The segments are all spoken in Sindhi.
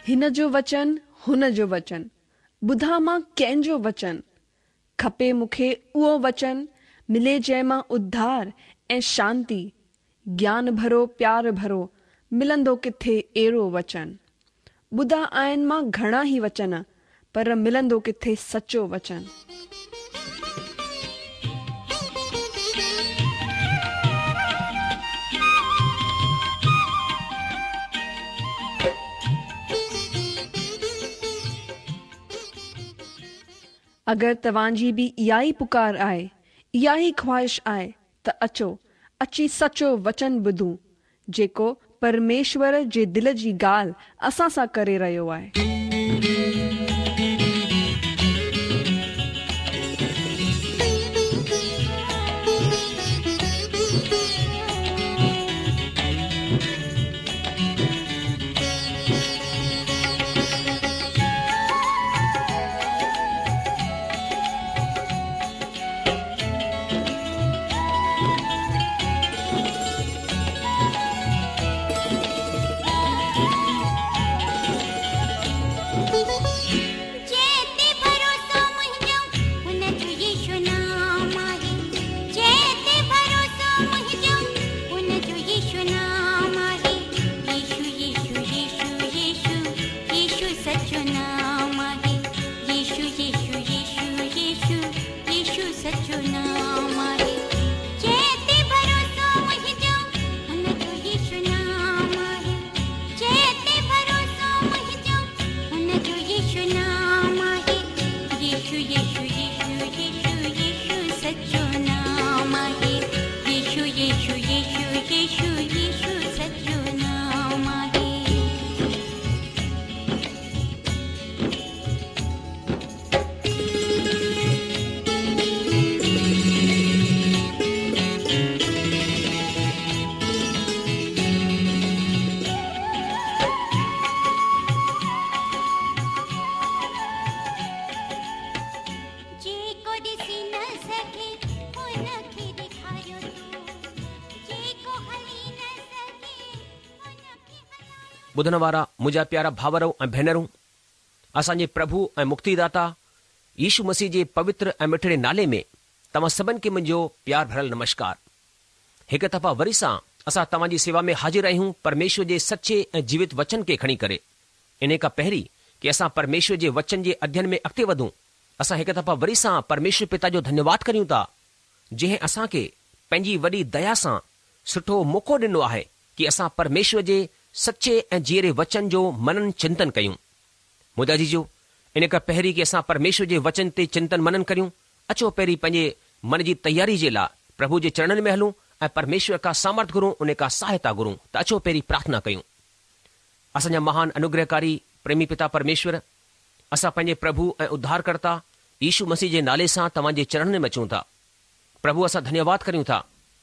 هن جو وچن هن جو وچن، ٻڌان مان ڪنهن جو وچن؟ کپي مون کي اهو وچن، ملي جنهن مان اڌار ۽ شانتي، گيان ڀرو پيار ڀرو، ملندو ڪٿي اهڙو وچن؟ ٻڌا آهن مان گهڻا ئي وچن، پر ملندو ڪٿي سچو وچن؟ اگر توهان جي به اها ئي پڪار آهي، اها ئي خواهش آهي ته اچو، اچي سچو وچن ٻڌون، جيڪو پرميشور جي دل جي ڳالهه اسان سان ڪري رهيو آهي. جنهن تي ڀروسو منهنجو ان جو يسوع نام آهي جنهن تي ڀروسو منهنجو ان جو يسوع نام آهي يسوع يسوع يسوع يسوع يسوع سچو نام آهي يسوع يسوع يسوع يسوع يسوع سچو نام آهي جنهن تي ڀروسو منهنجو ان جو يسوع نام آهي جنهن تي ڀروسو منهنجو ان جو يسوع نام آهي يسوع يسوع يسوع يسوع يسوع سچو نام آهي يسوع يسوع يسوع يسوع يسوع سچو نام آهي. جيڪو ڏسي نه سگهي ان کي ڏيکاريو تو جيڪو هلي نه سگهي ان کي هلايو. ٻڌڻ وارا منهنجا پيارا ڀائرو ۽ ڀينرون، اسان جي پرڀو ۽ مڪتيداتا يشو مسيح جي پوتر ۽ مٺڙي نالي ۾ توهان سڀن کي منهنجو پيار ڀريل نمشڪار. هڪ دفعا وري سان اسان توهان جي سيوا ۾ حاضر آهيون پرميشور جي سچي ۽ جيوت وچن کي کڻي ڪري. انهي کان پهرين ڪي اسان پرميشور جي وچن جي اڌين ۾ اڳتي وڌون، اسان هڪ دفعا وري سان پرميشور پتا جو ڌنيواد ڪريون ٿا جنهن اسان کي پنهنجي وڏي ديا سان سٺو موقعو ڏنو آهي ڪي اسان پرميشور جي سچي ۽ جيئري وچن جو منن چنتن ڪيون. منهنجا عزيزو، ان کان پهرين ڪي اسان پرميشور جي وچن تي چنتن منن ڪريون، اچو پهرين پنهنجي من جي تياري جي لاء پرڀو جي چرڻن ۾ هلون ۽ پرميشور کان سامرٿ گهرون ان کان سهائتا گهرون ته اچو پهرين پرارٿنا ڪيون. اسان جا مهان انوگرهڪاري پريمي پتا پرميشور، اسان پنهنجي پرڀو ۽ اڌارڪرتا يشو مسيح جي نالي سان توهان جي چرڻن ۾ اچون ٿا. پرڀو اسان ڌنيواد ڪريون ٿا.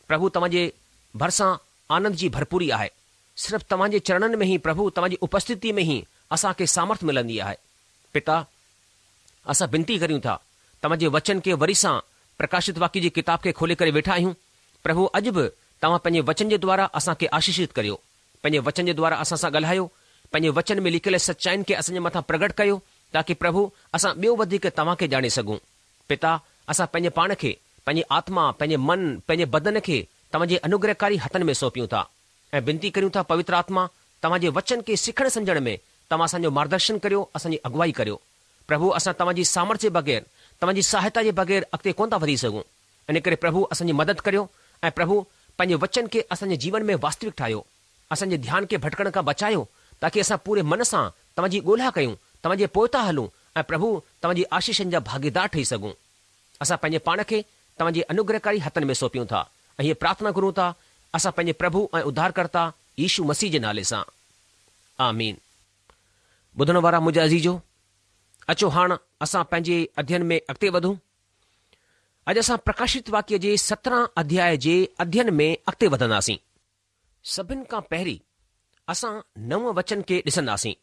پرڀو توهان جي ڀرسان آنند جي ڀرپوري آهي. صرف توهان جي چرڻن ۾ ئي پرڀو توهان جي اپسٿتي ۾ ئي اسان کي سامرٿ ملندي آهي. پتا اسان بنتي ڪريون ٿا توهان جي وچن کي وري سان پرڪاشت واڪيه جي ڪتاب کي کولي ڪري ويٺا آهيون. پرڀو اڄ به توهان پنهنجي وچن جي دوارا اسان کي آشيشت ڪريو. پنهنجي وچن جي دوارا اسان سان ڳالهايو. پنهنجي وچن ۾ لکيل سچائين کي اسان جي مٿان پرگهٽ ڪريو تاڪي پرڀو اسان ٻيو وڌيڪ توهان کي ڄاڻي سگهون. پتا، اسان پنهنجي پاڻ کي، پنهنجي آتما، پنهنجي من، پنهنجي بدن کي توهان جي انوگرهڪاري هٿن ۾ سونپيون ٿا ۽ بنتي ڪريون ٿا پوتر آتما توهان جي وچن کي سکڻ سمجهڻ ۾ توهان اسان جو مارگدرشن ڪريو اسان جي اڳوائي ڪريو. پرڀو اسان توهان جي سامرٿ جي بغير توهان جي سهائتا جي بغير اڳتي ڪونه ٿا وڌي سگهون ان ڪري پرڀو اسان جي مدد ڪريو ۽ پرڀو پنهنجي وچن کي اسان جي جيون ۾ واستوڪ ٺاهيو اسان جي ڌيان کي ڀٽڪڻ کان بچايو تاڪي اسان پوري من سان توهان جي ڳولها ڪيون، توهان جي پوئتان هلون ۽ پرڀو توهان جي آشيشن جا ڀاڳيدار ٺهي سگهون. اسان پنهنجي پاڻ کي توهان جي انوگرهڪاري هٿن ۾ سونپيون ٿا ۽ هيء پرارٿنا گهرون ٿا اسان پنهنجي پرڀو ۽ اڌارڪرتا يشو مسيح جي نالي سان. آمين. ٻڌڻ وارا منهنجا عزيزو، اچو هاڻ اسان پنهنجي اڌين ۾ اڳتي وڌون. اڄ اسان پرڪاشت واڪيه جي 17 اڌياء جي اڌين ۾ اڳتي وڌنداسين. سڀن کان پهرين اسان نون وچن کي ڏسنداسين.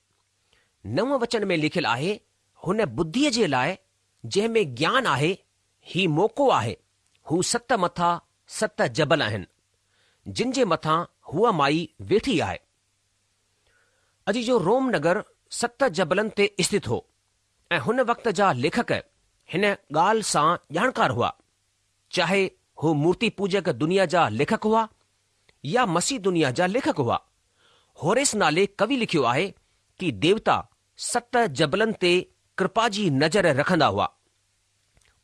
نون وچن ۾ لکيل آهي، هن ٻڌيء جي لاء جنهن ۾ گيان آهي، هي موقعو آهي، هو ست مٿا ست جبل آهن، جن جي مٿان هوء مائي ويٺي آهي. عزيزو روم نگر ست جبلن تي اسٿت هو ۽ هن وقت جا ليکڪ هن ڳالهه سان ڄاڻڪار هئا، چاهي هو مورتي پوجڪ دنيا جا ليکڪ هئا يا مسيح دنيا جا ليکڪ هئا. هوريس نالي ڪوي لکيو آهي ڪي ديوتا ست جبلن تي ڪرپا جي نظر رکندا هئا.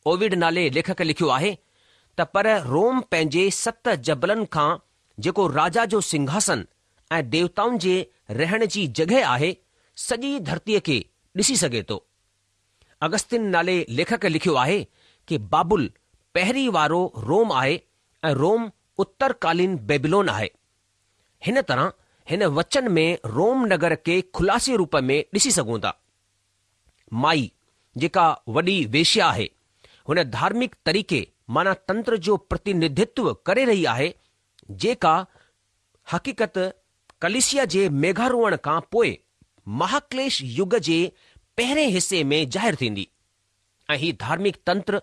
اووڊ نالي ليکڪ لکيو آهي ته پر روم پنهنجي ست جبلن کان جيڪو راجا جو سنگهاسن ۽ ديوتائن جي رهڻ جي جڳهه آهي، سڄي ڌرتيء کي ڏسي سگهي ٿو. اگستين نالي ليکڪ لکيو آهي ڪي بابل پهرين وارو روم آهي ۽ روم اترڪالين بيبلون آهي. هن طرح هن وچن ۾ روم نگر کي خلاصي روپ ۾ ڏسي سگهون ٿا. مائي، جيڪا وڏي ويشيا آهي، هن ڌارمڪ طريقي معنيٰ تنتر جو پرتينڌتو ڪري رهي آهي، جيڪا حقيقت ڪليسيا جي ميگهاروهڻ کان پوء مهاڪليش يگ جي پهرين حصي ۾ ظاهر ٿيندي ۽ هي ڌارمڪ تنتر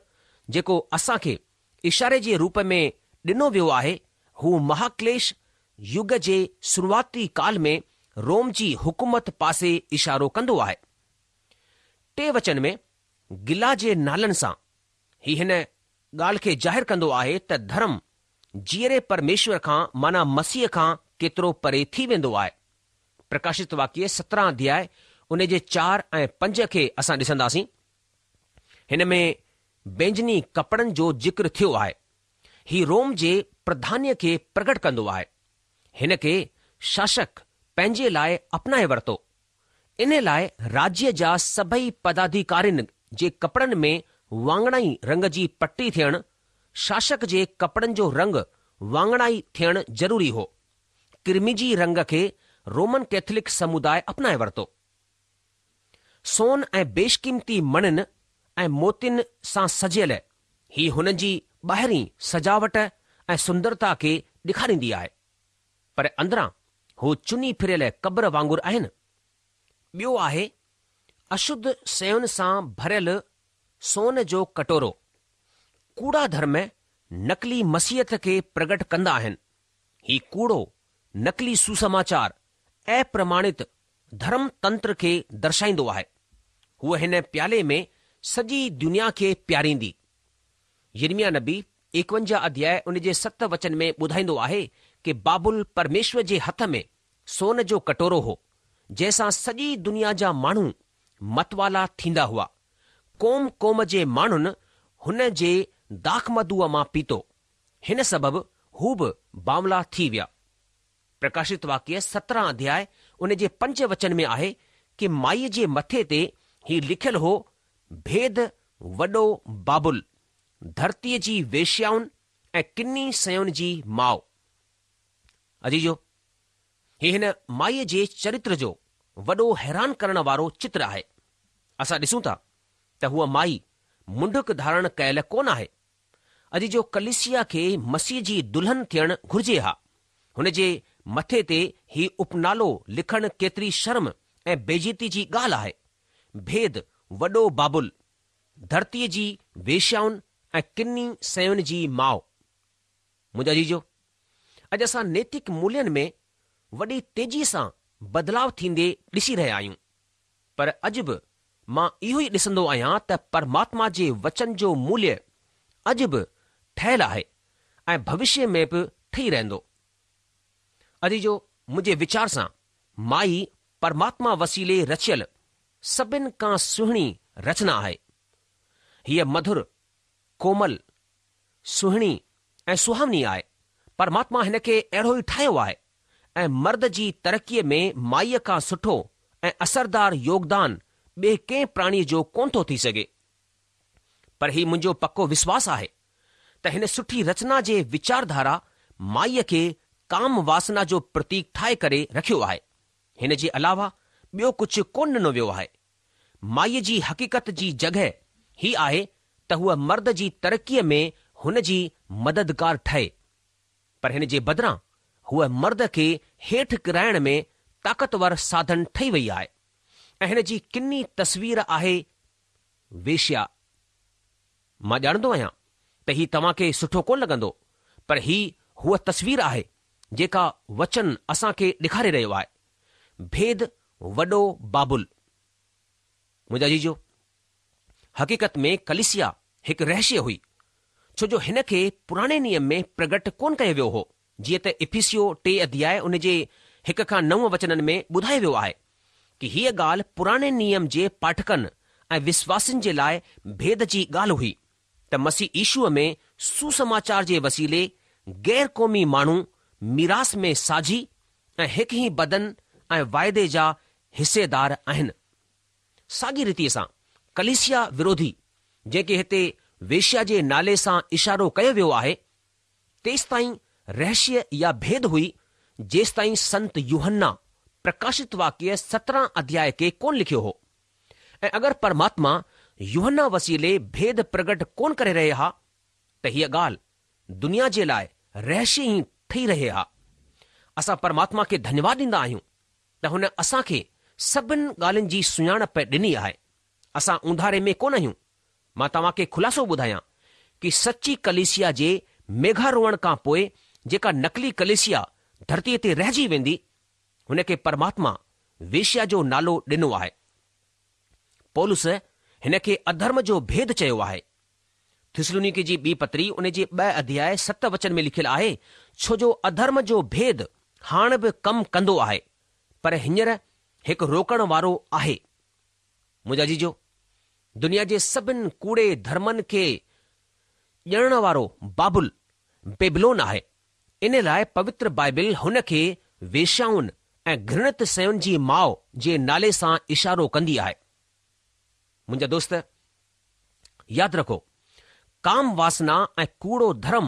جيڪو اسان کي اشاري جي روپ ۾ ڏنو ويو آهي، هو مهاڪليش يگ جي شروعاتي ڪال ۾ روم جي حڪومت پاسي اشارو ڪندو آهي. ٽي وچن ۾ گلا جي نالن سان هي هن ڳالهه کي ظاهر ڪندو آهي ته ڌرم جيئري پرميشور کان معنيٰ مسيح کان ڪيترو پري ٿي ويندو آهي. پرڪاشت واڪيه 17 اڌياء ان جي 4 ۽ 5 کي اسان ڏسنداسين. هن ۾ بينجني ڪپڙن جو ذڪر ٿيو آهي. هي روم جي پرڌانيء کي پرگٽ ڪندو آهي. هن کي شاشڪ پنهنجي لاء اپنائي ورتو. ان لاء راجيه جا سڀئي پداڌيڪارين جي ڪپڙن ۾ واڱڻائي رنگ جي پٽي ٿيڻ، شاشڪ جي ڪپڙن جو رنگ واڱڻائي ٿيڻ ضروري هو. قرمزي رنگ کي رومن ڪيٿلڪ سموداء اپنائي ورتو. سون ۽ بيشقيمتي مڻين ۽ موتين سان سجيل هي هن جي ٻاهرين سجاوٽ ۽ سندرتا کي ڏيکاريندي آهي، پر اندران هو چني ڦريل قبر وانگر آهن. ٻيو آهي اشڌ شين سان ڀريل سون جو ڪٽورو. ڪوڙا ڌرم نقلي مسيحيت کي پرگٽ ڪندا آهن. هي ڪوڙو نقلي سوسماچار اپرماڻت ڌرم تنتر کي درشائيندو آهي. هوء هن پيالي ۾ سڄي دنيا کي پياريندي. يرمياه نبي ايڪونجاهه اڌياء ان جي ست وچن ۾ ٻڌائيندو آهي ڪي بابل پرميشور جي هٿ ۾ سون جو ڪٽورو هو، جنهن سان سڄي دنيا جا ماڻهو متوالا ٿيندا هئا. قوم قوم جي ماڻهن هن جي داخمڌوء مان پيتو. هن سبب هو به بانولا ٿي ويا. پرڪاشت واڪيه 17 اڌياء ان جي پنج وچن ۾ آهي ڪي مائيء جي مٿي تي هي لکيل هو ڀيد وڏو بابل، ڌرتيء جي ويشيائن ۽ ڪني شين جي ماء. عزيزو! هي هن مائيء جي چريتر جو وڏو حيران ڪرڻ وارو چتر آهي. اسان ڏسون ٿا ته هوء مائي منڍڪ ڌارڻ ڪيل ڪونه آهي. اڄ جو ڪليسيا کي مسيح جي دلهن ٿيڻ گهرجي ها. هن جي مٿي تي هي اپنالو لکڻ ڪيتري شرم ۽ بيعزتي جي ڳالهه آهي. ڀيد وڏو بابل، ڌرتيء جي ويشيائن ۽ ڪني شين جي ماء. منهنجا عزيزو، اڄ اسان نيتڪ مولين ۾ وڏي تيزيء سان بدلاء ٿيندي ڏسي رهيا آهيون. پر اڄ به مان اهو ئي ڏسندو آهيان ته پرماتما جي وچن جو موليه اڄ به ٺهيل آهي ۽ ڀوشيه ۾ به ٺهي رهندو. عزيزو منهنجي ويچار سان مائي پرماتما وسيلي رچيل سڀن کان سهڻي رچنا آهي. هيء مڌر، ڪومل، سهڻي ۽ سهاوني آهي. پرماتما هن کي اهڙو ئي ٺاهيو آهي ۽ مرد جي ترقيء ۾ مائيء کان سٺو ۽ اثردار يوگدان ٻئي ڪنهن پراڻيء جو ڪونه ٿو ٿي سگهي. پر هي منهنجو پڪو وشواس آهي ته هن سٺي رچنا جي ويچارڌارا مائيء کي ڪام واسنا جو پرتيڪ ٺاهي ڪري رکيو آهي. هن جي علاوه ٻيو ڪجهه ڪونه ڏنو ويو آهي. مائيء جي حقيقت جي جڳهه هي آهي ته هوء مرد جي ترقيء ۾ هن جي مددگار ٺهي، پر هن جي بدران هوء مرد کي هيٺ ڪرائڻ ۾ طاقتور ساڌن ٺهي وئي آهي ۽ هن جي ڪني تصوير آهي ويشيا. مان ڄاڻندو آهيان ته هي توهان کي سٺو ڪونه لڳندو، پر هي هوء تصوير آهي جيڪا وچن اسان کي ڏيکاري رهيو آهي. ڀيد وڏو بابل. منهنجا عزيزو، حقيقت ۾ ڪليسيا هڪ رهشيه هئي، ڇو جو هن کي پراڻي نيم ۾ پرگٽ ڪونه ڪيو ويو هو، جيئن ته افسيو ٽي اڌياء ان جي هڪ کان نو وچنن ۾ ٻڌايو ويو آهي ڪي هيء ڳالهه پراڻي نيم جي پاٺڪن ۽ وشواسين جي لاء ڀيد جي ڳالهه هئي ته مسيح يشوع ۾ سوسماچار جي وسيلي غير قومي ماڻهو ميراث ۾ ساجهي ۽ هڪ ئي بدن ۽ واعدي جا حصيدار آهن. ساڳي ريتيء سان ڪليسيا وروڌي، جنهن کي هتي ويشيا جي نالي سان اشارو ڪيو ويو آهي، تيستائين رهشيه يا ڀيد هئي، جيستائين سنت يوحنا پرڪاشت واڪيه 17 اڌياء کي ڪونه لکيو هو. ۽ اگر پرماتما يوحنا وسيلي ڀيد پرگٽ ڪونه ڪري رهي ها ته هيء ڳالهه دنيا جي لاء رهشيه ئي ٺهي رهي ها. اسان پرماتما کي ڌنيواد ڏيندا آهيون ته هن اسان کي سڀن ڳالهين جي سڃاڻپ ڏني آهي. اسان اونڌاري ۾ ڪونه آهيون. مان توهان کي خلاصو ٻڌايان ڪي سچي ڪليسيا جي ميگهاروهڻ کان پوء جيڪا نقلي ڪليسيا ڌرتيء تي رهجي ويندي، هن کي پرماتما ويشيا جو نالو ڏنو آهي. پولس هن کي اڌرم جو ڀيد چيو آهي. ٿسلونيڪي جي ٻي پتري ان جي ٻه اڌياء ست وچن ۾ لکيل آهي، ڇو جو اڌرم جو ڀيد هاڻ به ڪم ڪندو آهي، پر هينئر هڪ روڪڻ وارو آهي. منهنجا عزيزو، دنيا جي سڀن ڪوڙي ڌرمن کي ڄڻڻ وارو بابل، بيبلون آهي. ان لاء پوتر بائبل هن کي ويشيائن ۽ گهرڻت شين جي ماء جي نالي سان اشارو ڪندي آهي. منهنجا دوست، ياد رکو، ڪام واسنا ۽ ڪوڙو ڌرم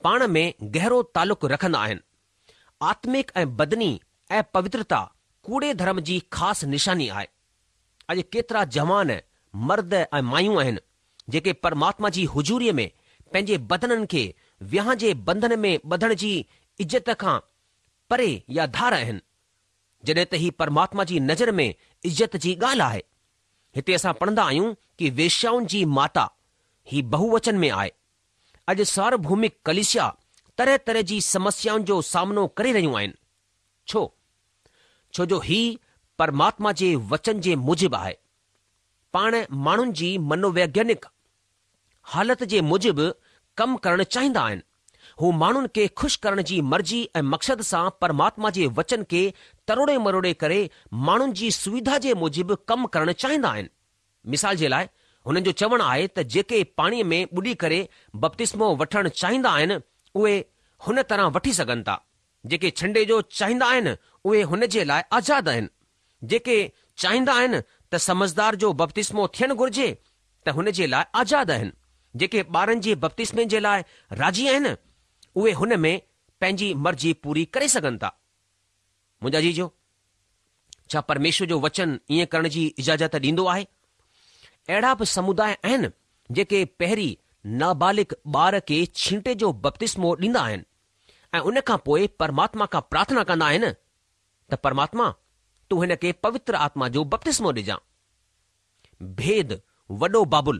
پاڻ ۾ گهرو تعلق رکندا آهن. آتمڪ ۽ بدني اپوترتا ڪوڙي ڌرم جي خاص نشاني آهي. اڄ ڪيترا جوان مرد ۽ مايون آهن، جيڪي پرماتما جي حضوريء ۾ پنهنجي بدنن کي وهانء جي بنڌن ۾ ٻڌڻ جي عزت کان پري يا ڌار آهن، جڏهن ته هي پرماتما جي نظر ۾ عزت جي ڳالهه آهي. هتي اسان پڙهندا آهيون ڪي ويشيائن جي ماتا، هي بهووچن ۾ آهي. اڄ ساروڀومڪ ڪليسيا طرح طرح جي سمسيائن جو سامنو ڪري رهيون آهن. ڇو؟ ڇو جو هي پرماتما جي وچن جي موجب آهي. پاڻ ماڻهن جي منوويگيانڪ حالت جي موجب ڪم ڪرڻ چاهيندا آهن. هو ماڻهن کي خوش ڪرڻ جي مرضي ۽ مقصد سان پرماتما جي وچن کي تروڙي مروڙي ڪري ماڻهن جي سويڌا جي موجب ڪم ڪرڻ چاهيندا آهن. مثال جي لاء هنن جو چوڻ آهي ته جيڪي پاڻيء ۾ ٻڏي ڪري بپتسمو وٺڻ چاهيندا آهن اهي هن طرح وٺي سگهن ٿا. جيڪي ڇنڊي جو چاهيندا آهن اهي هن جي لاء آزاد آهن. جيڪي چاهيندا آهن ته سمجهدار جو بپتسمو ٿيڻ گهرجي ته هن جي لاء آزاد آهن. جيڪي ٻارن جي بپتسمي جي لاء راضي آهن اهي هن ۾ پنهنجي مرضي پوري ڪري سگهن ٿا. منهنجا عزيزو، ڇا پرميشور جو وچن ائين ڪرڻ جي اجازت ڏيندو آهي؟ اهڙا به سموداء آهن جيڪي پهرين نابالغ ٻار کي ڇينٽي جو بپتسمو ڏيندا آهن ۽ ان کان پوء پرماتما کان پرارٿنا ڪندا آهن ته پرماتما تون هن کي پوتر آتما جو بپتسمو ڏجان. ڀيد، وڏو بابل،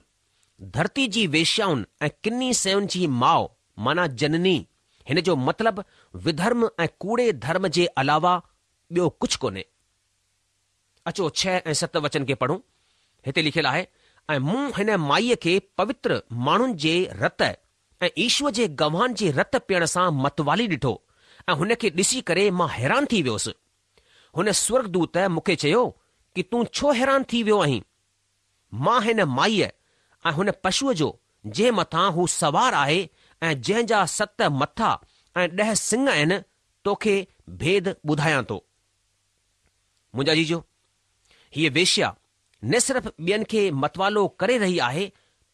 ڌرتي جي ويشيائن ۽ ڪني شين جي ماء معنيٰ جنني، هن جو مطلب وڌرم ۽ ڪوڙي ڌرم جي علاوه ٻيو ڪجهه ڪونهي. اچو ڇهه ۽ ست وچن کي پڙهون. هتي لکيل آهي، ۽ مون هن مائيء کي پوتر ماڻهن جي رت ۽ يشوء جي گواهن جي رت پيئڻ سان متوالي ڏٺو ۽ هن کي ڏسي ڪري مان حيران ٿي ويس. هن سورڳدوت مون کي چيو ڪي تون ڇو حيران ٿي ويو آهين؟ مان هن مائيء ۽ هن پشوء جو جنهن مٿان هو سوار آهي ۽ جنهن جا ست مٿا ۽ ڏهه سڱ آهن، توکي ڀيد ٻڌايان ٿو. منهنجا عزيزو، هيء ويشيا نه صرف ٻين کي متوالو ڪري رهي آهي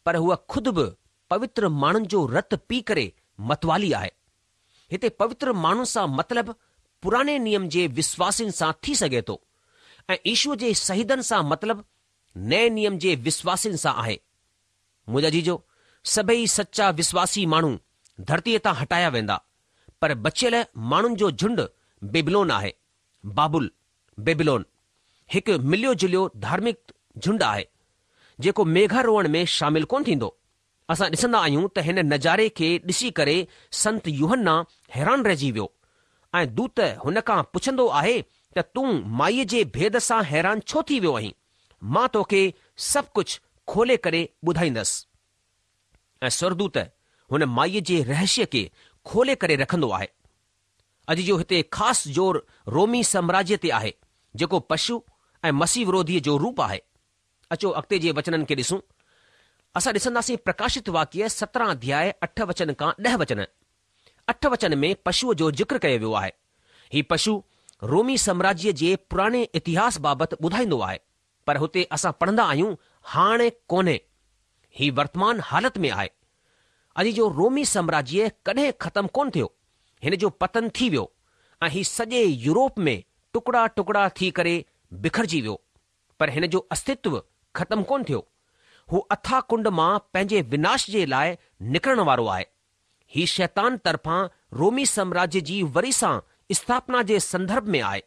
پر هوء خود به پوتر ماڻهن جو رت پي ڪري متوالي آهي. هتي پوتر ماڻهن سان مطلب پراڻي نيم جي وشواسين سان ٿي سگهي ٿو ۽ يشوء جي شهيدن سان مطلب نئين نيم جي وشواسين سان آهي. منهنجا عزيزو، سڀئي سچا وشواسي ماڻهو ڌرتيء تان هٽايا ويندا، پر بچيل ماڻهن جو جهنڊ بيبلون آهي. بابل، Babylon، هڪ مليو جليو ڌارمڪ جهنڊ آهي، جيڪو ميگهاروهڻ ۾ شامل ڪونه ٿيندو. اسان ڏسندا آهيون ته هن نظاري کي ڏسي ڪري سنت يوحنا حيران رهجي ويو ۽ دوت هن کان پڇندو آهي ته تون مائيء جي ڀيد سان حيران ڇو ٿي ويو آهين؟ مان توکي سڀ ڪجهه کولي ڪري ٻڌائيندس. ۽ سورڳدوت هن مائيء جي رهشيه کي کولي ڪري رکندو آهي. اڄ جو هتي خاص زور رومي سامراجيه تي آهي، جيڪو پشو ۽ مسيح وروڌيء جو روپ آهي. اچو اڳتي جي وچنن کي ڏسون. اسان ڏسنداسين پرڪاشت واڪيه 17 اڌياء اٺ وچن کان ڏهه وچن. اٺ وچن ۾ پشوء جو ذڪر ڪيو ويو آهي. هي پشو رومي سامراجيه جي پراڻي اتهاس بابت ٻڌائيندو آهي، پر هتي اسان پڙهندا آهيون هاڻ ڪونهي. هي ورتمان حالت ۾ آهي. اڄ جو رومي سامراجيه ڪڏهن ختم ڪونه ٿيو. هن جو پتن ٿي ويو ۽ هي سڄي يورپ ۾ ٽڪڙا ٽڪڙا ٿي ڪري بکرجي ويو. پر هن جو استتو ختم ڪونه ٿيو. هو اٿاهه ڪنڊ مان پنهنجي وناش جي لاء نڪرڻ وارو آهي. هي شيطان طرفان رومي سامراجيه جي وري سان اسٿاپنا جي سندرڀ ۾ آهي.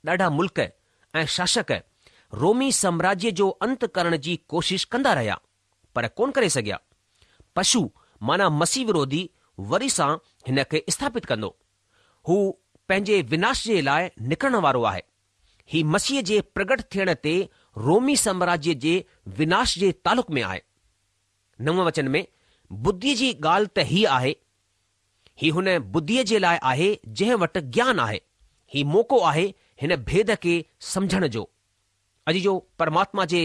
ڏاڍا ملڪ ۽ شاشڪ رومي سامراجيه جو انت ڪرڻ جي ڪوشش ڪندا رهيا، پر ڪونه ڪري سگهيا. پشو معنيٰ مسيح وروڌي وري سان هن کي اسٿاپت ڪندو. هو پنهنجي وناش جي لاء نڪرڻ وارو آهي. هي مسيح جي پرگٽ ٿيڻ تي رومي سامراجيه جي وناش جي تعلق ۾ آهي. نون وچن ۾ ٻڌيء جي ڳالهه ته هيء آهي، هي هن ٻڌيء جي لاء آهي جنهن وٽ گيان آهي. هي موقعو آهي هن ڀيد کي سمجهڻ جو. عزيزو پرماتما جي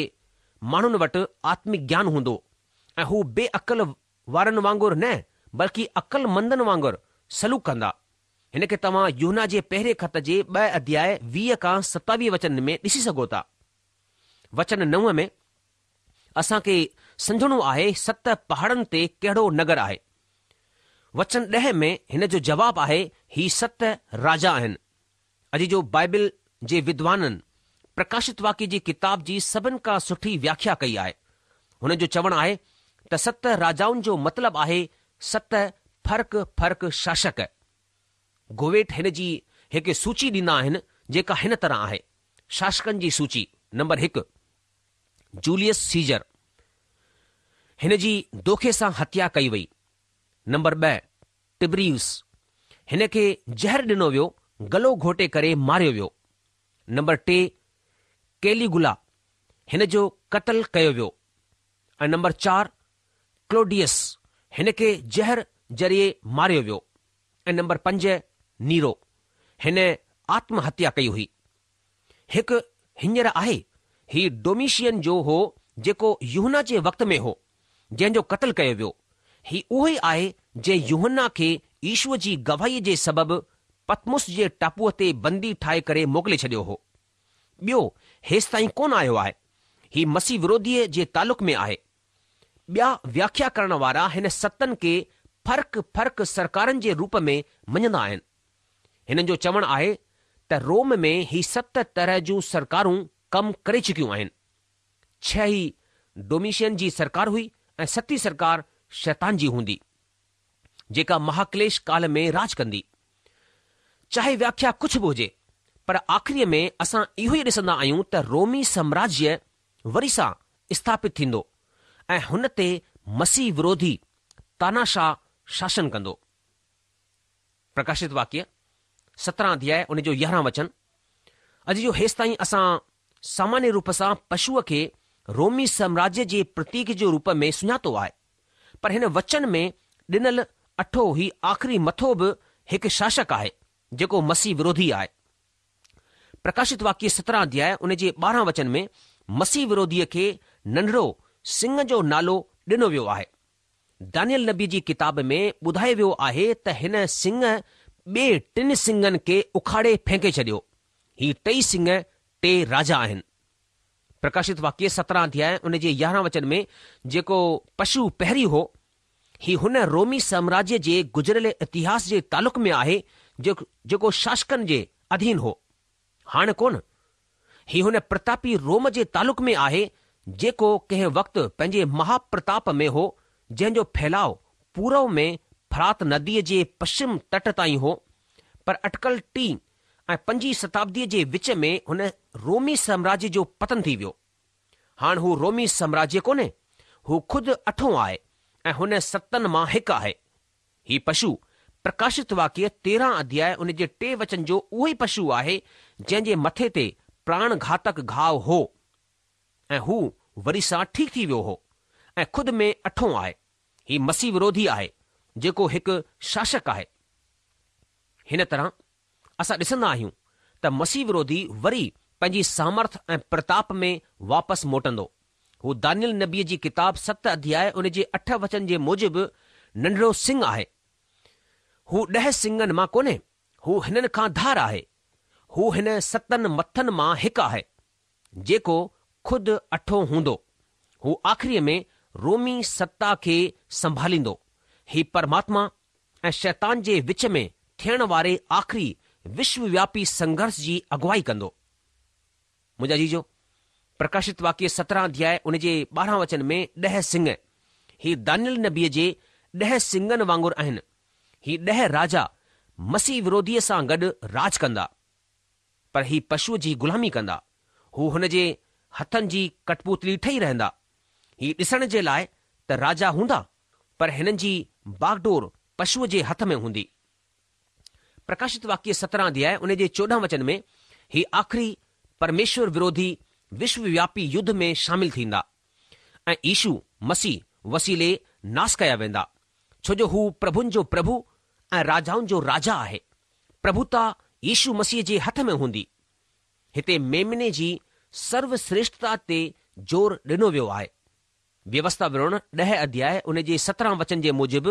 ماڻهن وٽ آتمڪ گيان هوندو ۽ هو بي عقل وارن وانگر نه بلڪه عقلمندن وانگر سلوڪ ڪندا. هن کي توهان يوحنا جي پهرين خط جي ٻه اڌياء 20 کان 27 وچن ۾ ڏسي سگهو ٿا. وچن نو ۾ اسان کي سمجهڻو آهي ست پهاڙن تي ڪهڙو نگر آهي؟ وچن ڏهه ۾ هن جو جواب آهي هي ست راجا آهن. عزيزو بائبل جي ودوانن پرڪاشت واڪيه جي ڪتاب جي سڀن کان سٺي وياکيا ڪئي آهي. هنن جو چوڻ آهي ته ست راجائن جو مطلب آهي ست فرق فرق شاشڪ. گوويٽ هن جي هڪ سوچي ڏيندا آهن جيڪا هن طرح آهي، شاشڪن جي سوچي، نمبر هڪ، جوليس سيزر، هن جي دوکي سان هتيا ڪئي وئي. نمبر ٻه، ٽبريوس، هن کي زهر ڏنو ويو، گلو گهوٽي ڪري ماريو ويو. نمبر ٽي، ڪيليگولا، هن جو قتل ڪيو ويو. ۽ نمبر چار، ڪلوڊيس، هن کي زهر ذريعي ماريو ويو. ۽ نمبر پنج، نيرو، هن آتم هتيا ڪئي هئي. هڪ هينئر آهي، هي ڊوميشين جو هو جيڪو يوحنا جي وقت ۾ هو، جنهن جو قتل ڪيو ويو. هي اهو ئي آهي جنهن يوحنا کي يشوع جي گواهيء جي سبب پتمس جي ٽاپوء تي بندي ٺاهي ڪري موڪلي ڇڏيو هو. ٻيو هيستائين ڪونه آيو آهي. هي مسيح وروڌيء جي تعلق ۾ آهي. ٻيا وياکيا ڪرڻ وارا هن ستن کي فرق فرق سرڪارن جي روپ ۾ مڃندا آهن. هنن جو چوڻ آهي ته روم ۾ هي ست طرح جون سرڪارون ڪم ڪري چڪيون آهن. ڇهه ئي ڊوميشين جي سرڪار هئي ۽ ستين سرڪار شيطان جي هوندي، جيڪا مهاڪليش ڪال ۾ راڄ ڪندي. چاهي وياکيا ڪجهه به هجي، پر آخريء ۾ اسان اهو ئي ڏسندا آهيون ته رومي سامراجيه وري سان اسٿاپت ٿيندو ۽ هن تي مسيح وروڌي تاناشاهه شاسن ڪندو. پرڪاشت واڪيه، 17 اڌياء ان جو 11 وچن، عزيزو هيستائين اسان سامانيه روپ سان پشوء کي رومي سامراجيه جي پرتيڪ جي روپ ۾ سڃاتو آهي، پر هن وچن ۾ ڏنل اٺون هي آخري مٿو به هڪ شاشڪ آهي، جيڪو مسيح وروڌي آهي. پرڪاشت واڪيه 17 اڌياء ان جي 12 وچن ۾ مسيح وروڌيء کي ننڍڙو سنگهه جو نالو ڏنو ويو آهي. دانيل نبيء جي ڪتاب ۾ ٻڌايو ويو آهي ته هن سنگهه ٻئي ٽن سنگهن کي اکاڙي ڦينڪي ڇڏيو. هي ٽئي سنگهه ٽي راجا آهن. پرڪاشت واڪيه 17 اڌياء ان جي 11 وچن ۾ جيڪو پشو پهرين هو، هي هن رومي سامراجيه جي گذريل اتهاس جي تعلق ۾ آهي جيڪو شاشڪن جي اڌين هو. هاڻ ڪونه. هي هن پرتاپي روم جي تعلق ۾ آهي، جيڪو ڪنهن وقت پنهنجي مها پرتاپ ۾ هو، جنهن جو ڦهلاء پورو ۾ فرات نديء جي پشچم تٽ تائين هو، پر اٽڪل ٽين ۽ پنجين شتابديء جي وچ ۾ هن رومي سامراجيه جو پتن ٿي ويو. هاڻ هو رومي سامراجيه ڪونهي، هو خود اٺون آهي ۽ هن ستن مان هڪ آهي. هي پشو پرڪاشت واڪيه 13 اڌياء ان جي ٽي وچن جو اهو ئي پشو آهي جنهن جي مٿي تي پراڻ گهاتڪ گهاء هو ۽ هو وري سان ٺيڪ ٿي ويو هو ۽ خود ۾ اٺون آهي. هي مسيح وروڌي آهي جيڪو هڪ شاشڪ آهي. هن طرح اسان ڏسندا آهيون ته مسيح وروڌي وري پنهنجي سامرٿ ۽ پرتاپ ۾ واپس موٽندو. هو دانيل نبيء جي ڪتاب ست اڌياء ان جي اٺ وچن جي موجب ننڍڙو سڱ آهي. هو ڏهه سڱن مان ڪونهي، هو هنن کان ڌار آهي. هو هن ستن مٿن مان هڪ آهي، جيڪو خود اٺون هوندو. هو آخريء ۾ رومي ستا کي سنڀاليندو. هي پرماتما ۽ شيطان جي وچ ۾ ٿيڻ واري آخري وشووياپي سنگهرش جي اڳوائي ڪندو. منهنجا عزيزو، پرڪاشت واڪيه 17 اڌياء ان جي 12 وچن ۾ ڏهه سڱ، هي دانيل نبيء جي ڏهه سڱن وانگر آهن. هي ڏهه راجا مسيح وروڌيء سان گڏ راڄ ڪندا. پر هي پشوء جي غلامي ڪندا. هو هن جي هٿن جي ڪٺپوتلي ٺهي رهندا. هي ڏسڻ جي لاء ته راجا هوندا، پر هنن جي باگڊور پشوء جي هٿ ۾ هوندي. پرڪاشت واڪيه 17 اڌياء ان جي 14 وچن ۾ هي آخري پرميشور وروڌي وشووياپي يڌ ۾ شامل ٿيندا ۽ يشو مسيح وسيلي ناس ڪيا ويندا، ڇو جو هو پرڀن جو پرڀو ۽ راجائن جو راجا آهي. پرڀوتا يشو مسيح جي هٿ ۾ هوندي. هتي ميمني جي سرو شريشٺتا تي زور ڏنو ويو آهي. ويوسٿا وورڻ ڏهه اڌياء ان جي 17 وچن جي موجب،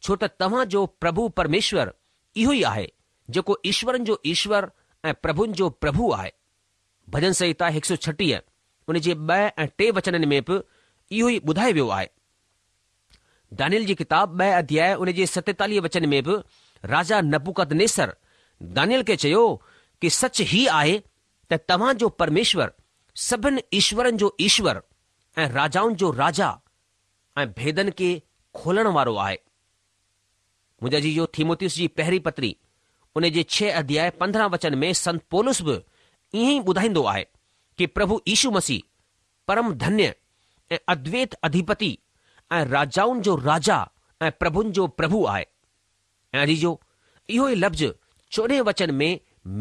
ڇو ته توهان جو پرڀو پرميشور اهو ئي آهي، جيڪو ايشورن جو ايشور ۽ پرڀن جو پرڀو آهي. ڀڄن سنهتا 136 ان جي ٻه ۽ ٽي وچنن ۾ به اهو ئي ٻڌايو ويو آهي. دانيل جي ڪتاب ٻه اڌياء ان جي 47 وچن ۾ به راجا نبوڪدنيسر دانيل کي چيو ڪي سچ هي آهي ته توهان جو پرميشور سڀن ايشورن جو ايشور ۽ راجائن جو راجا ۽ ڀيدن کي کولڻ وارو آهي. منهنجا عزيزو ٿيموتيوس جي پهرين پتري ان جي ڇهه اڌياء 15 وچن ۾ سنت پولس به ائين ئي ٻڌائيندو آهي ڪي پرڀو يشو مسيح پرم ڌنيه ۽ ادويت اڌيپتي ۽ راجائن جو راجا ۽ پرڀن جو پرڀو آهي. ۽ عزيزو اهو ئي لفظ چوڏهين وچن ۾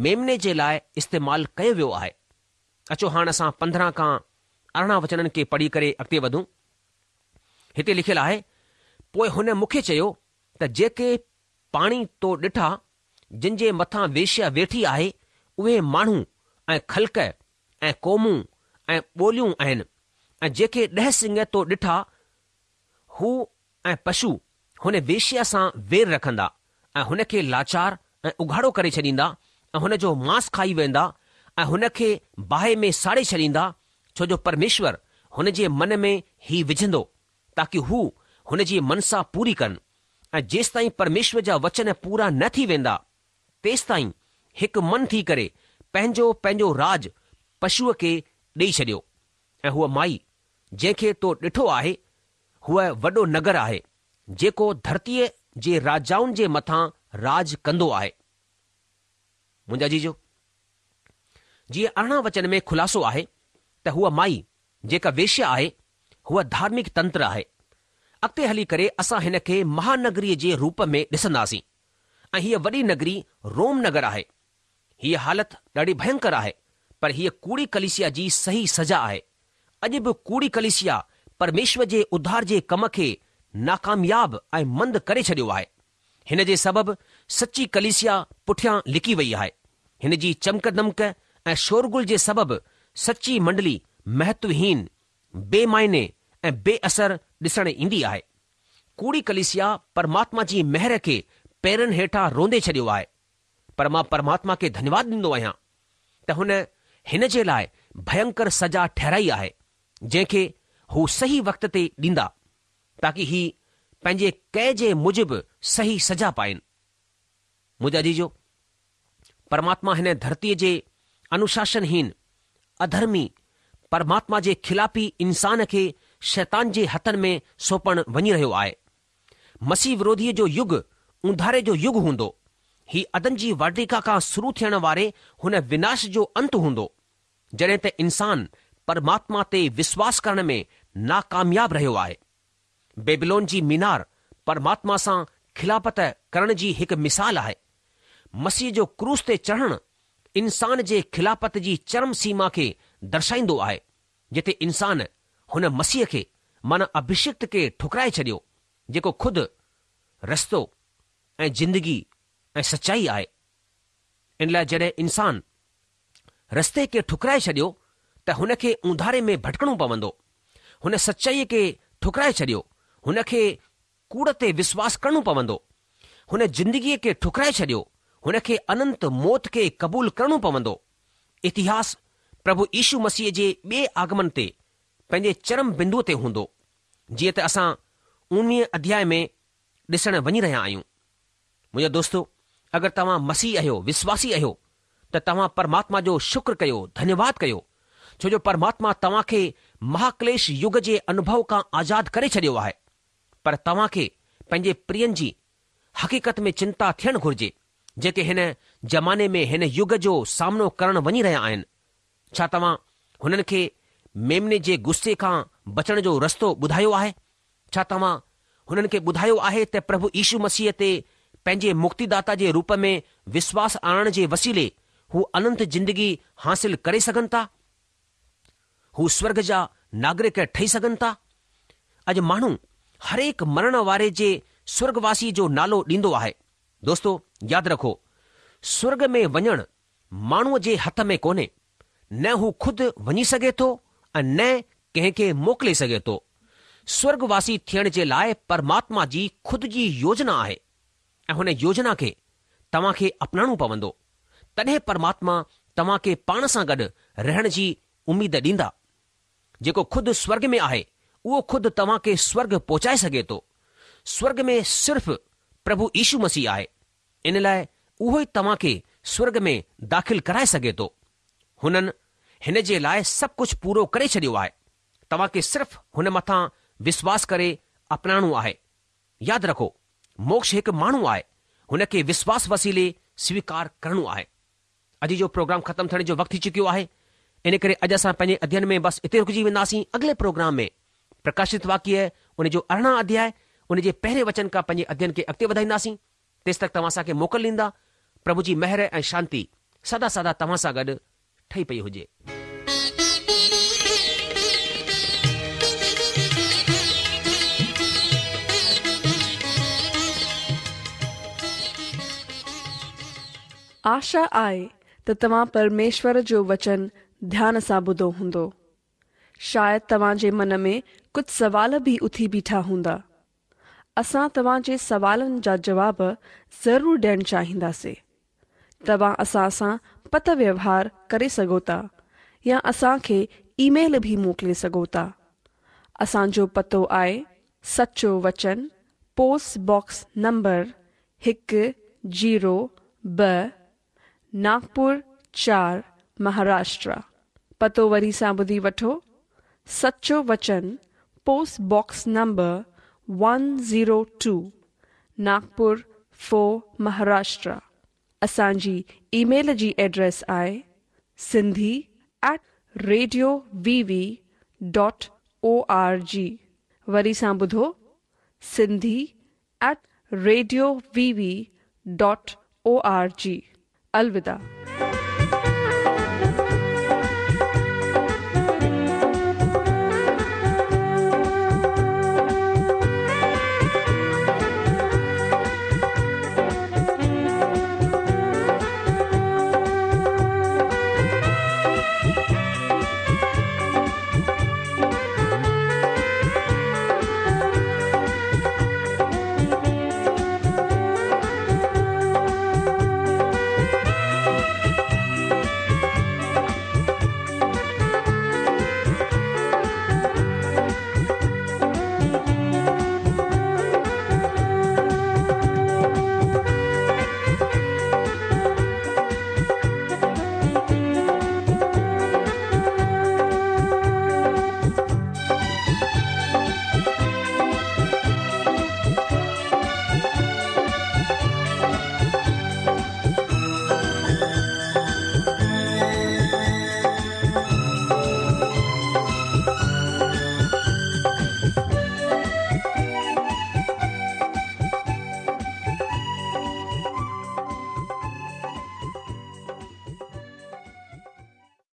ميمني جي لاء استعمال ڪيو ويو آهي. اچو هاڻ اسان 15 کان 18 وچنن کي پڙهي ڪري اڳتي وڌون. هتي لکيل آهي، پوء هن مون کي چيو ته جيڪي پاڻي تو ڏٺا، جن جي مٿان ويشيا ويٺي آهي، اهي ماڻهو ۽ خلق ۽ قومون ۽ ٻوليون آهن، ۽ جيڪي ڏهه سڱ تو ڏٺا، هو ۽ پشو هن ويشيا سان وير رکندا ۽ هن کي لاچار ۽ اگهاڙو ڪري ڇڏيندا ۽ هن جو ماس کائي ويندا ۽ هن کي باهه ۾ ساڙي ڇڏيندا، ڇو جو پرميشور هن جي من ۾ هي وجهندو، تاڪي هو هن جي منسا پوري ڪن، ۽ جيستائين پرميشور جا وچن پورا نه ٿي ويندا، تيستائين هڪ من ٿي ڪري پنهنجو پنهنجو راڄ پشوء کي ڏيئي ڇڏيو، ۽ هوء مائي، جنهن کي تو ڏٺو آهي، هوء وڏو نگر آهي، جيڪو ڌرتيء جي راجائن جي مٿان راڄ ڪندو آهي. منهنجا عزيزو! جيئن 18 وچن ۾ خلاصو آهي ته هوء مائي، جيڪا ويشيا آهي، هوء ڌارمڪ تنتر آهي. اڳتي هلي ڪري اسان هن کي مهانگريء جي روپ ۾ ڏسنداسين ۽ هيء وڏي نگري روم نگر آهي. هيء حالت ڏاڍي ڀينڪر آهي، پر هيء ڪوڙي ڪليسيا جي صحيح سزا آهي. اڄ به ڪوڙي ڪليسيا پرميشور جي اڌار جي ڪم کي ناڪامياب ۽ مند ڪري ڇڏيو آهي. هن جي سبب سچي ڪليسيا پٺيان لڪي وئي آهي. هن جي چمڪ دمڪ ۽ شورغل جي سبب سچي منڊلي مهتوهين، بي معني ۽ بي اثر ڏسڻ ايندي آهي. ڪوڙي ڪليسيا پرماتما جي مهر کي پيرن هيٺان روندي ڇڏيو آهي. پر مان پرماتما کي ڌنيواد ڏيندو آهيان ته هن هن جي لاء ڀينڪر سزا ٺهرائي آهي، جنهن کي هو صحيح وقت تي ڏيندا، تاڪي هي پنهنجي ڪئي جي موجب صحيح سزا پائين. منهنجا عزيزو، پرماتما هن ڌرتيء جي انوشاسنهين، اڌرمي، پرماتما جي خلافي انسان کي شيطان جي هٿن ۾ سونپڻ وڃي رهيو آهي. مسيح وروڌيء جو يگ اونڌاري جو يگ هوندو. هي عدن جي واٽيڪا کان شروع ٿيڻ واري هن وناش جو انت هوندو، جڏهن ته انسان پرماتما تي وشواس ڪرڻ ۾ ناڪامياب رهيو آهي. بيبلون جي مينار پرماتما سان خلافت ڪرڻ جي هڪ مثال آهي. مسيح جو ڪروس تي چڙهڻ انسان جي خلافت جي چرم سيما کي درشائيندو آهي، جتي انسان هن مسيح کي معنيٰ اڀشڪت کي ٺڪرائي ڇڏيو، جيڪو خود رستو ۽ زندگي ۽ سچائي آهي. ان لاء جڏهن انسان رستي کي ٺڪرائي ڇڏيو ته هن کي اونڌاري ۾ ڀٽڪڻو پوندو. هن سچائيء کي ٺڪرائي ڇڏيو، هن کي ڪوڙ تي وشواس ڪرڻو پوندو. هن زندگيء کي ٺڪرائي ڇڏيو، هن کي اننت موت کي قبول ڪرڻو پوندو. اتهاس پرڀو يشو مسيح جي ٻئي آگمن تي پنهنجي چرم بندوء تي هوندو، جيئن ته اسان اوڻويهه اڌياء ۾ ڏسڻ وڃي رهيا آهيون. منهنجا دوستو، اگر توهان مسيحي آهيو، وشواسي آهيو، ته توهان پرماتما جو شڪر ڪيو، ڌنيواد ڪيو، ڇو جو پرماتما توهان کي مهاڪليش يگ جي انوڀو کان آزاد ڪري ڇڏيو آهي. پر توهان کي پنهنجي پرين جي حقيقت ۾ چنتا ٿيڻ گهرجي، جيڪي هن زماني ۾ هن يگ جو سامنو ڪرڻ وڃي رهيا آهن. ڇا توهان هنن کي ميمني جي غصي کان بچڻ جو رستو ٻڌايو آهي؟ ڇا توهان هنن کي ٻڌايو آهي ته پرڀو يشو مسيح تي پنهنجي مڪتيداتا جي روپ ۾ وشواس آڻڻ جي وسيلي هو اننت زندگي حاصل ڪري سگهن ٿا؟ هو سورڳ جا ناگرڪ ٺهي سگهن ٿا؟ اڄ ماڻهو هرهڪ مرڻ واري جي سورڳواسي جو نالو ڏيندو آهي. دوستو ياد رکو سورڳ ۾ وڃڻ ماڻهوء جي هٿ ۾ ڪونهي، نه هو خود وڃي سگهي ٿو ۽ نه ڪنهن کي موڪلي سگهي ٿو. سورڳ واسي ٿيڻ جي لاء پرماتما جي خود جي يوجنا آهي ۽ هن يوجنا کي توهان کي اپنائڻو پوندو، تڏهن پرماتما توهان کي پاڻ سان گڏ رهڻ جي اميد ڏيندا. جيڪو خود سورڳ ۾ آهي، اهو خود توهان کي سورڳ پهچائي سگهي ٿو. سورڳ ۾ صرف پرڀو يشو مسيح آهي. ان لاء اهو ئي توهان کي سورڳ ۾ داخل ڪرائي سگهي ٿو. هنن هن جي لاء سڀ ڪجهه پورو ڪري ڇڏيو آهي. توهان کي صرف هن مٿان وشواس ڪري اپنائڻو آهي. ياد رکو، موڪش هڪ ماڻهو آهي، هن کي وشواس وسيلي سويڪار ڪرڻو آهي. اڄ جو پروگرام ختم ٿيڻ جو وقت ٿي چڪيو آهي، ان ڪري اڄ اسان پنهنجي اڌيين ۾ بس اتي رڪجي وينداسين. اڳلي پروگرام ۾ پرڪاشت واڪيه ان جو 18 اڌياء ان جي پهرين وچن کان پنهنجي اڌيين کي اڳتي وڌائينداسين. تيستڪ توهان اسان کي موڪل ڏيندا. پرڀو جي مهر ۽ شانتي سدا سدا توهان سان گڏ ٺهي پئي هجي. آشا آهي ته توهان پرميشور جو وچن ڌيان سان ٻڌو هوندو. شايد توهان جي من ۾ ڪجهه سوال به اٿي بيٺا هوندا. اسان توهان جي سوالن جا جواب ضرور ڏيڻ چاهينداسين. توهان اسان سان پتر ويوهار ڪري سگهو ٿا يا اسان کي اي ميل به موڪلي سگهو ٿا. اسان جو پتو آهي سچو وچن پوسٽ باڪس نمبر هڪ زيرو ٻه ناگپور چار مهاراشٽرا. پتو وري سان ٻڌي وٺو سچو وچن post box number one zero two Nagpur four Maharashtra اسان جي اي ميل جي ايڊريس آهي Sindhi at radio V V dot O R G وري سان ٻڌو Sindhi at radio V V dot O R G الوداع.